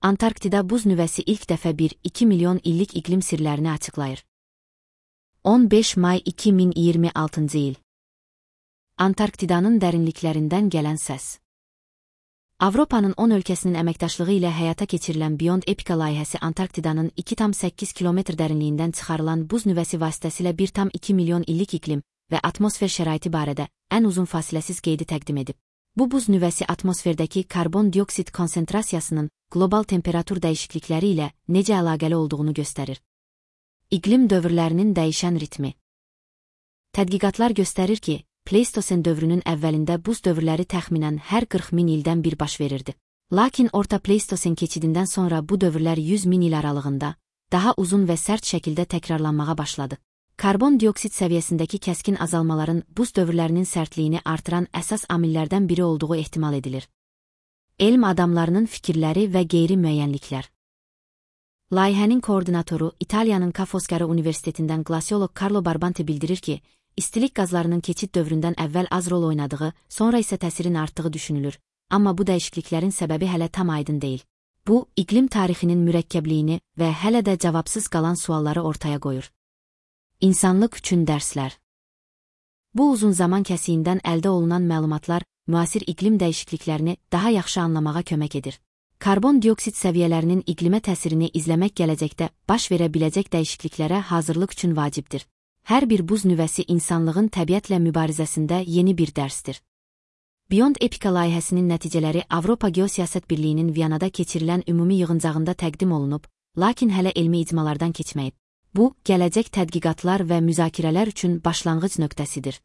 Antarktida buz nüvəsi ilk dəfə 1-2 milyon illik iqlim sirlərini açıqlayır. 15 may 2026-cı il. Antarktidanın dərinliklərindən gələn səs. Avropanın 10 ölkəsinin əməkdaşlığı ilə həyata keçirilən Beyond Epica layihəsi Antarktidanın 2,8 kilometr dərinliyindən çıxarılan buz nüvəsi vasitəsilə 1,2 milyon illik iqlim və atmosfer şəraiti barədə ən uzun fasiləsiz qeydi təqdim edib. Bu buz nüvəsi atmosferdəki karbon dioksid konsentrasiyasının qlobal temperatur dəyişiklikləri ilə necə əlaqəli olduğunu göstərir. İqlim dövrlərinin dəyişən ritmi. Tədqiqatlar göstərir ki, Pleistosen dövrünün əvvəlində buz dövrləri təxminən hər 40 min ildən bir baş verirdi. Lakin orta Pleistosen keçidindən sonra bu dövrlər 100 min il aralığında daha uzun və sərt şəkildə təkrarlanmağa başladı. Karbon dioksid səviyyəsindəki kəskin azalmaların buz dövrlərinin sərtliyini artıran əsas amillərdən biri olduğu ehtimal edilir. Elm adamlarının fikirləri və qeyri-müəyyənliklər. Layihənin koordinatoru İtaliyanın Ca' Foscari Universitetindən qlasiolog Carlo Barbanti bildirir ki, istilik qazlarının keçid dövründən əvvəl az rol oynadığı, sonra isə təsirin artdığı düşünülür, amma bu dəyişikliklərin səbəbi hələ tam aydın deyil. Bu, iqlim tarixinin mürəkkəbliyini və hələ də cavabsız qalan sualları ortaya qoyur. İnsanlıq üçün dərslər. Bu uzun zaman kəsiyindən əldə olunan məlumatlar müasir iqlim dəyişikliklərini daha yaxşı anlamağa kömək edir. Karbon dioksid səviyyələrinin iqlimə təsirini izləmək gələcəkdə baş verə biləcək dəyişikliklərə hazırlıq üçün vacibdir. Hər bir buz nüvəsi insanlığın təbiətlə mübarizəsində yeni bir dərsdir. Beyond Epica layihəsinin nəticələri Avropa Geosiyasət Birliyinin Viyanada keçirilən ümumi yığıncağında təqdim olunub, lakin hələ elmi icmalardan keçməyib. Bu, gələcək tədqiqatlar və müzakirələr üçün başlanğıc nöqtəsidir.